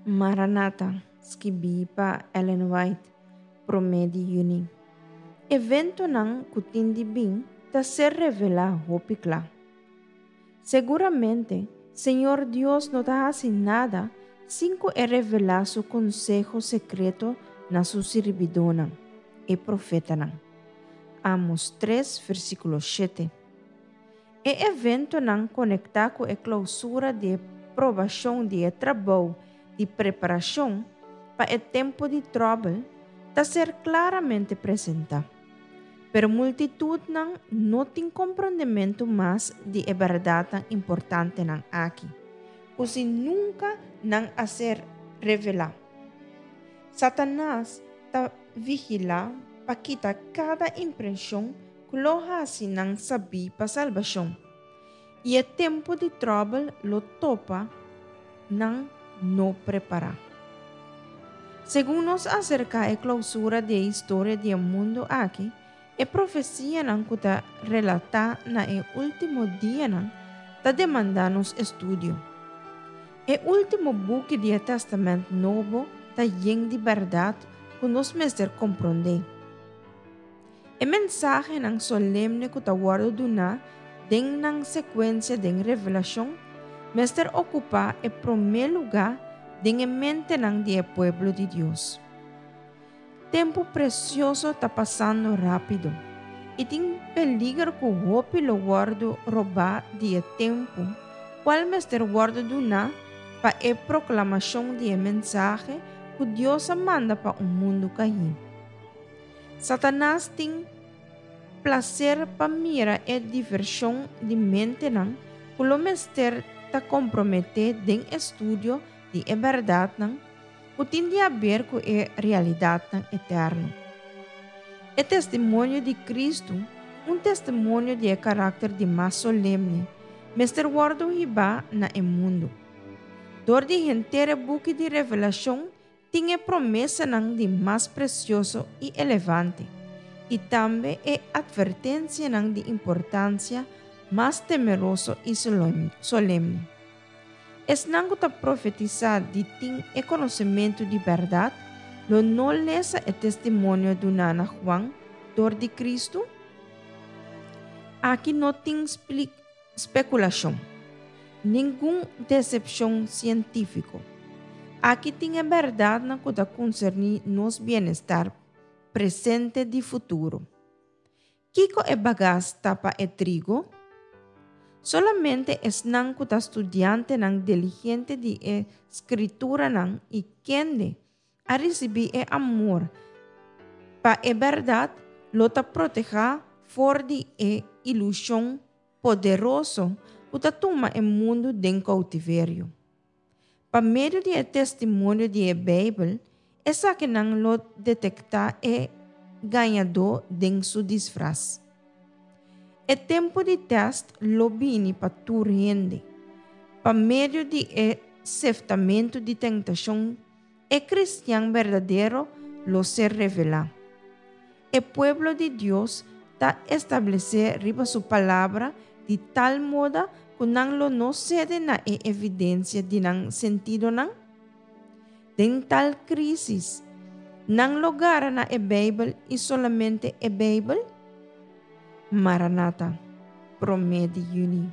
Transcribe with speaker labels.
Speaker 1: Maranata, skibí pa Ellen White, promé di yüni. Eventonan ku tin di bin ta ser revelá hopi kla. Seguramente, Señor Dios no ta hasi nada sin ku e revelá su konseho sekreto na su sirbidónan, e profetanan. Amos tres, versíkulo shete. E eventonan konektá ku e klousura di e probashon di e trabou di preparashon pa e tempu di tròbel ta ser klaramente presentá. Pero multitutnan no tin komprondementu mas di e bèrdatnan importantenan aki, ku si nunka nan a ser revelá. Satanas ta vigilá pa kita kada impreshon ku lo hasi nan sabí pa salbashon, i e tempu di tròbel lo topa nan no prepará. Segun nos aserká e klousura di e historia di e mundu aki, e profesianan ku ta relatá na e último dianan ta demandá nos estudio. E último buki di e Tèstamènt Nobo ta yen di bèrdat ku nos mester komprondé. E mensahenan solemne ku ta wòrdu duná den nan sekuensia den Revelashon mester okupá e promé lugá den e mentenan di e pueblo di Dios. Tempu presioso ta pasando rápido, i tin peliger ku hopi lo wòrdu robá di e tempu kual mester wòrdu duná pa e proklamashon di e mensahe ku Dios a manda pa un mundu kaí. Satanas tin plaser pa mira e divershon di mentenan ku lo mester ta komprometé den estudio di e bèrdatnan ku tin di haber ku e realidatnan eterno. E testimonio di Kristu, un testimonio di e karakter di mas solemne, mester wòrdu hibá na e mundu. Dor di henter e buki di Revelashon Tin e promesanan di mas presioso i elevante, i tambe e atvertensianan di importansia mas temeroso i solemne. Esnan ku ta profetisá di tin e konosementu di bèrdat lo no lesa e testimonio duná na Juan dor di Kristu? Aki no tin Spekulashon. Ningun desepshon sientífiko. Aki tin e bèrdatnan ku ta konserní nos bienestar presente di futuro. Kiko e bagas ta pa e trigo? Solamente esnan ku ta studiantenan diligente di e Skrituranan i kende a risibí e amor pa e bèrdat lo ta protehá for di e ilushon poderoso ku ta tuma e mundu den koutiverio. Pa medio di e testimonio di e Beibel, esakinan lo detektá e gañadó den su disfras. E tempu di tèst lo bini pa tur hende. Pa medio di e seftamentu di tentashon, e kristian berdadero lo ser revelá. E pueblo di Dios ta establesé riba su Palabra di tal moda ku nan lo no sede na e evidensia di nan sentidonan? Den tal krísis, nan lo gara na e Beibel i solamente e Beibel? Maranata, promé di yüni.